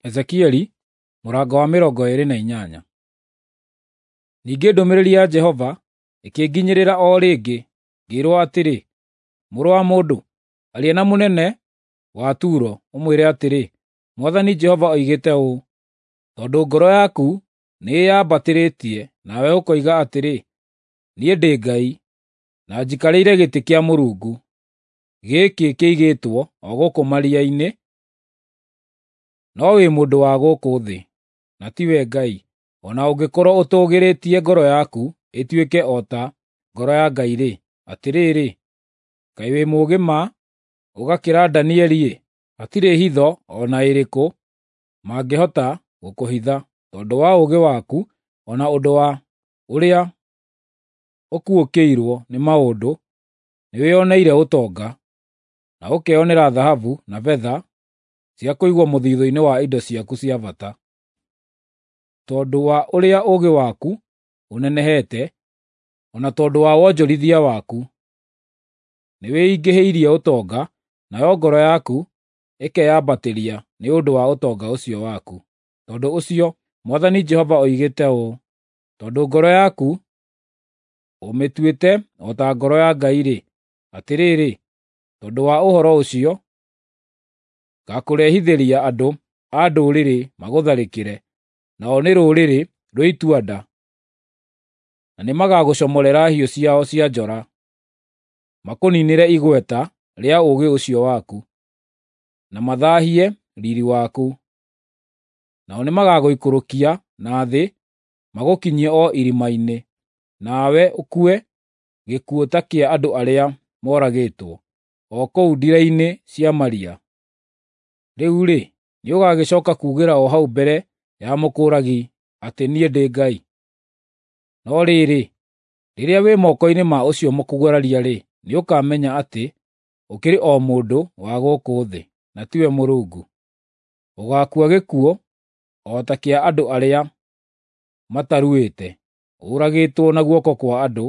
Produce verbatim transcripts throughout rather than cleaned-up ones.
Ezekieli mũrango wa mĩrongo ĩĩrĩ na inyanya. Ningĩ ndũmĩrĩri ya Jehova ĩkĩnginyĩrĩra o rĩngĩ, ngĩĩrwo atĩrĩ, “Mũrũ wa mũndũ, aria na mũnene wa Turo, ũmwĩre atĩrĩ, ‘Mwathani Jehova oigĩte ũũ: Tondũ ngoro yaku nĩĩyambatĩrĩtie nawe ũkoiga atĩrĩ, “Niĩ ndĩ ngai, na njikarĩire gĩtĩ kĩa Mũrungu, gĩkĩ kĩigĩtwo o gũkũ maria-inĩ,” no wĩ mũndũ wa gũkũ thĩ, na tiwe Ngai, o na ũngĩkorwo ũtũũgĩrĩtie ngoro yaku ĩtuĩke o ta ngoro ya Ngai-rĩ, atĩrĩrĩ, kaĩ wĩ mũũgĩ ma ũgakĩra Danieli-ĩ! Hatirĩ hitho o na ĩrĩkũ mangĩhota gũkũhitha, tondũ wa ũũgĩ waku o na ũndũ wa ũrĩa ũkuũkĩirwo nĩ maũndũ, nĩwĩoneire ũtonga, na ũkeonera thahabu na betha cia kũigwo mũthithũ-inĩ wa indo ciaku cia bata. Tondũ wa ũrĩa ũũgĩ waku ũnenehete, o na tondũ wa wonjorithia waku, nĩwĩingĩhĩirie ũtonga, nayo ngoro yaku ĩkeyambatĩria nĩ ũndũ wa ũtonga ũcio waku. Tondũ ũcio Mwathani Jehova oigĩte ũũ: Tondũ ngoro yaku ũmĩtuĩte o ta ngoro ya Ngai-rĩ, atĩrĩrĩ, tondũ wa ũhoro ũcio ngaakũrehithĩria andũ a ndũrĩrĩ magũtharĩkĩre, nao nĩ rũrĩrĩ rwĩ itua-nda, na nĩmagagũcomorera hiũ ciao cia njora, makũniinĩre igweta rĩa ũũgĩ ũcio waku, na mathaahie riiri waku. Nao nĩmagagũikũrũkia na thĩ magũkinyie o irima-inĩ, nawe ũkue gĩkuũ ta kĩa andũ arĩa moragĩtwo, o kũu ndĩra-inĩ cia maria. Rĩu-rĩ, nĩũgagĩcooka kuugĩra o hau mbere ya mũkũũragi atĩ niĩ ndĩ Ngai? No rĩrĩ, rĩrĩa wĩ moko-inĩ ma ũcio mũkũguraria-rĩ, nĩũkamenya atĩ ũkĩrĩ o mũndũ wa gũkũ thĩ, na tiwe Mũrungu. Ũgaakua gĩkuũ o ta kĩa andũ arĩa mataruĩte, ũragĩtwo na guoko kwa andũ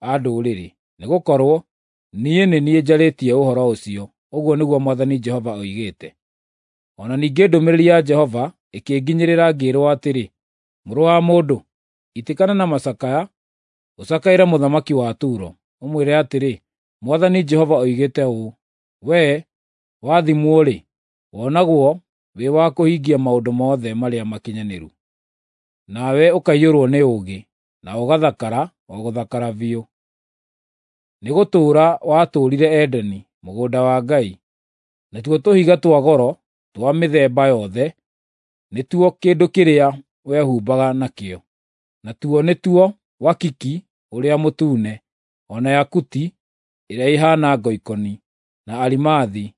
a ndũrĩrĩ, nĩgũkorwo niĩ nĩ niĩ njarĩtie ũhoro ũcio, ũguo nĩguo Mwathani Jehova oigĩte. O na ningĩ ndũmĩrĩri ya Jehova ĩkĩnginyĩrĩra ngĩĩrwo atĩrĩ, “Mũrũ wa mũndũ, itĩkana na macakaya ũcakaĩre mũthamaki wa Turo, ũmwĩre atĩrĩ, ‘Mwathani Jehova oigĩte ũũ: Wee wathimwo-rĩ, wonagwo wĩ wa kũhingia maũndũ mothe marĩa makinyanĩru, nawe ũkaiyũrwo nĩ ũũgĩ, na ũgathakara o gũthakara biũ. Nĩgũtũũra watũũrire Edeni, mũgũnda wa Ngai. Natuo tũhiga twa goro twa mĩthemba yothe nĩtuo kĩndũ kĩrĩa wehumbaga nakĩo, natuo nĩtuo wakiki ũrĩa mũtune, o na yakuti ĩrĩa ĩhaana ngoikoni, na arimathi,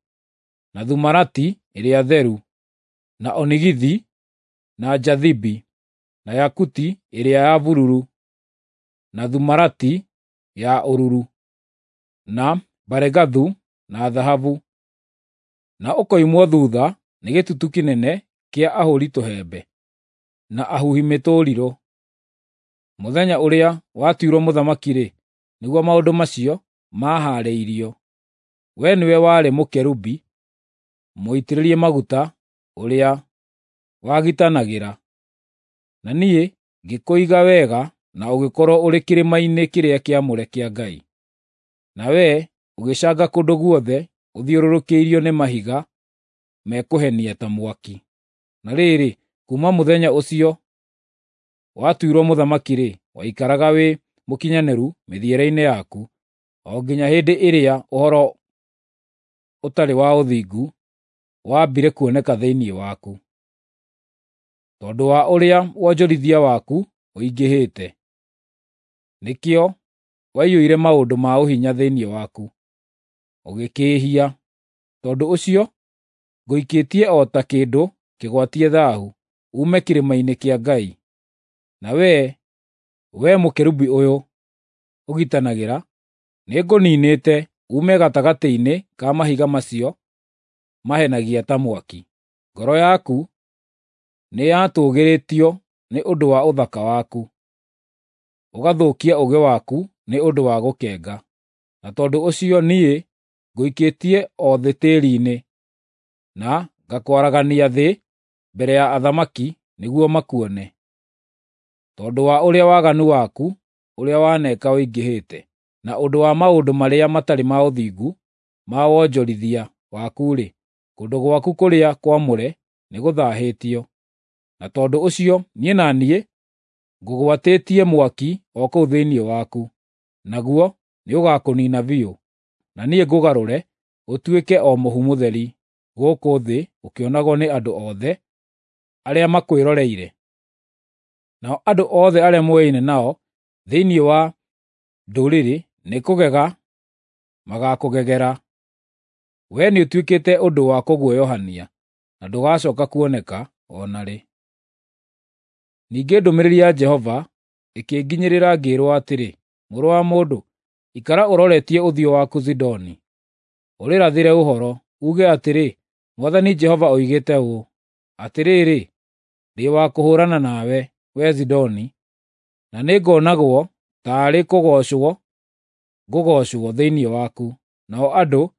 na thumarati ĩrĩa theru, na onigithi, na njathibi, na yakuti ĩrĩa ya bururu, na thumarati ya ũruru, na baregathu, na thahabu, na ũkoimwo thuutha nĩ gĩtutu kĩnene kĩa ahũũri tũhembe, na ahuhi mĩtũrirũ. Mũthenya ũrĩa watuirwo mũthamaki-rĩ, nĩguo maũndũ macio maahaarĩirio. Wee nĩwe warĩ mũkerubi mũitĩrĩrie maguta ũrĩa wagitanagĩra, na niĩ ngĩkũiga wega na ũgĩkorwo ũrĩ kĩrĩma-inĩ kĩrĩa kĩamũre kĩa Ngai. Na wee ũgĩcanga kũndũ guothe ũthiũrũrũkĩirio nĩ mahiga mekũhenia ta mwaki. Na rĩrĩ, kuuma mũthenya ũcio watuirwo mũthamaki-rĩ, waikaraga wĩ mũkinyanĩru mĩthiĩre-inĩ yaku, o nginya hĩndĩ ĩrĩa ũhoro ũtarĩ wa ũthingu waambire kuoneka thĩinĩ waku, tondũ wa ũrĩa wonjorithia waku ũingĩhĩte. Nĩkĩo waiyũire maũndũ ma ũhinya thĩinĩ waku, ũgĩkĩĩhia. Tondũ ũcio ngũikĩtie o ta kĩndũ kĩgwatie thaahu, uume kĩrĩma-inĩ kĩa Ngai. Na wee, wee mũkerubi ũyũ ũgitanagĩra, nĩngũniinĩte uume gatagatĩ-inĩ ka mahiga macio mahenagia ta mwaki. Ngoro yaku nĩyatũũgĩrĩtio nĩ ũndũ wa ũthaka waku, ũgathũkia ũũgĩ waku nĩ ũndũ wa gũkenga. Na tondũ ũcio niĩ ngũikĩtie o thĩ tĩĩri-inĩ, na ngakwaragania thĩ mbere ya athamaki nĩguo makuone, tondũ wa ũrĩa waganu waku ũrĩa waneka ũingĩhĩte, na ũndũ wa maũndũ marĩa matarĩ ma ũthingu ma wonjorithia waku-rĩ, kũndũ gwaku kũrĩa kwamũre nĩgũthaahĩtio. Na tondũ ũcio niĩ na niĩ ngũgwatĩtie mwaki o kũu thĩinĩ waku, naguo nĩũgakũniina biũ, na niĩ ngũgarũre ũtuĩke o mũhu mũtheri gũkũ thĩ ũkĩonagwo nĩ andũ othe arĩa makwĩroreire. Nao andũ othe arĩa mũũaine nao thĩinĩ wa ndũrĩrĩ nĩkũgega magaakũgegera. Wee nĩũtuĩkĩte ũndũ wa kũguoyohania, na ndũgacooka kuoneka o na rĩ. Ningĩ ndũmĩrĩri ya Jehova ĩkĩnginyĩrĩra ngĩĩrwo atĩrĩ, Mũrũ wa mũndũ, ikara ũroretie ũthiũ waku Zidoni, ũrĩrathĩre ũhoro, uuge atĩrĩ, Mwathani Jehova oigĩte ũũ: Atĩrĩrĩ, ndĩ wa kũhũũrana nawe, wee Zidoni, na nĩngonagwo taarĩ kũgoocwo ngũgoocwo thĩinĩ waku, nao andũ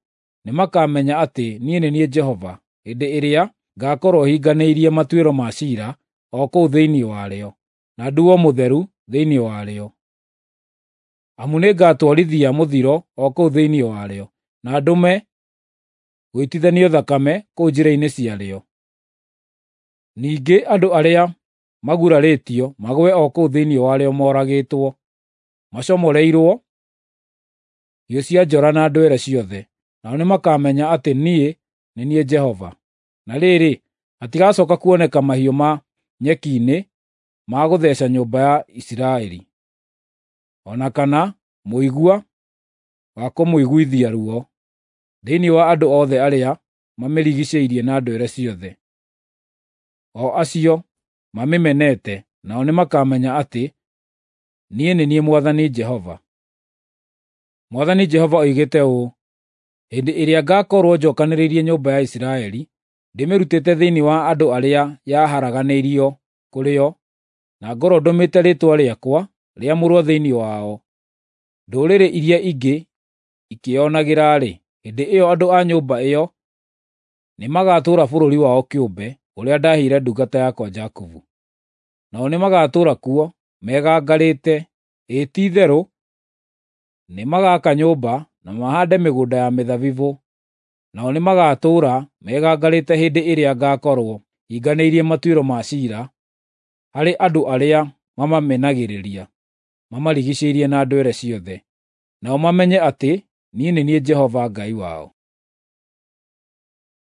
nĩmakamenya atĩ niĩ nĩ niĩ Jehova hĩndĩ ĩrĩa ngaakorwo hinganĩirie matuĩro ma ciira o kũu thĩinĩ warĩo, na nduo mũtheru thĩinĩ warĩo. Amu nĩngatwarithia mũthiro o kũu thĩinĩ warĩo, na ndũme gũitithanio thakame kũu njĩra-inĩ ciarĩo. Ningĩ andũ arĩa magurarĩtio magũe o kũu thĩinĩ warĩo moragĩtwo, macomoreirwo hiũ cia njora na ndwere ciothe, nao nĩmakamenya atĩ niĩ nĩ niĩ Jehova. Na rĩrĩ, hatigacooka kuoneka mahiũ ma nyeki-inĩ ma gũtheeca nyũmba ya Isiraeli, o na kana mũigua wa kũmũiguithia ruo thĩinĩ wa andũ othe arĩa mamĩrigiicĩirie na ndwere ciothe, o acio mamĩmenete, nao nĩmakamenya atĩ niĩ nĩ niĩ Mwathani Jehova. Mwathani Jehova oigĩte ũũ: Hĩndĩ ĩrĩa ngaakorwo njookanĩrĩirie nyũmba ya Isiraeli, ndĩmĩrutĩte thĩinĩ wa andũ arĩa yaharaganĩirio kũrĩ o, na ngorwo ndũmĩte rĩĩtwa rĩakwa rĩamũrwo thĩinĩ wao, ndũrĩrĩ iria ingĩ ikĩĩonagĩra-rĩ, hĩndĩ ĩyo andũ a nyũmba ĩyo nĩmagatũũra bũrũri wao kĩũmbe ũrĩa ndaheire ndungata yakwa Jakubu. Nao nĩmagatũũra kuo megangarĩte, ĩĩ ti-itherũ nĩmagaka nyũmba na mahaande mĩgũnda ya mĩthabibũ, nao nĩmagatũũra megangarĩte hĩndĩ ĩrĩa ngaakorwo hinganĩirie matuĩro ma ciira harĩ andũ arĩa mamamenagĩrĩria, mamarigiicĩirie na ndwere ciothe, nao mamenye atĩ niĩ nĩ niĩ Jehova Ngai wao.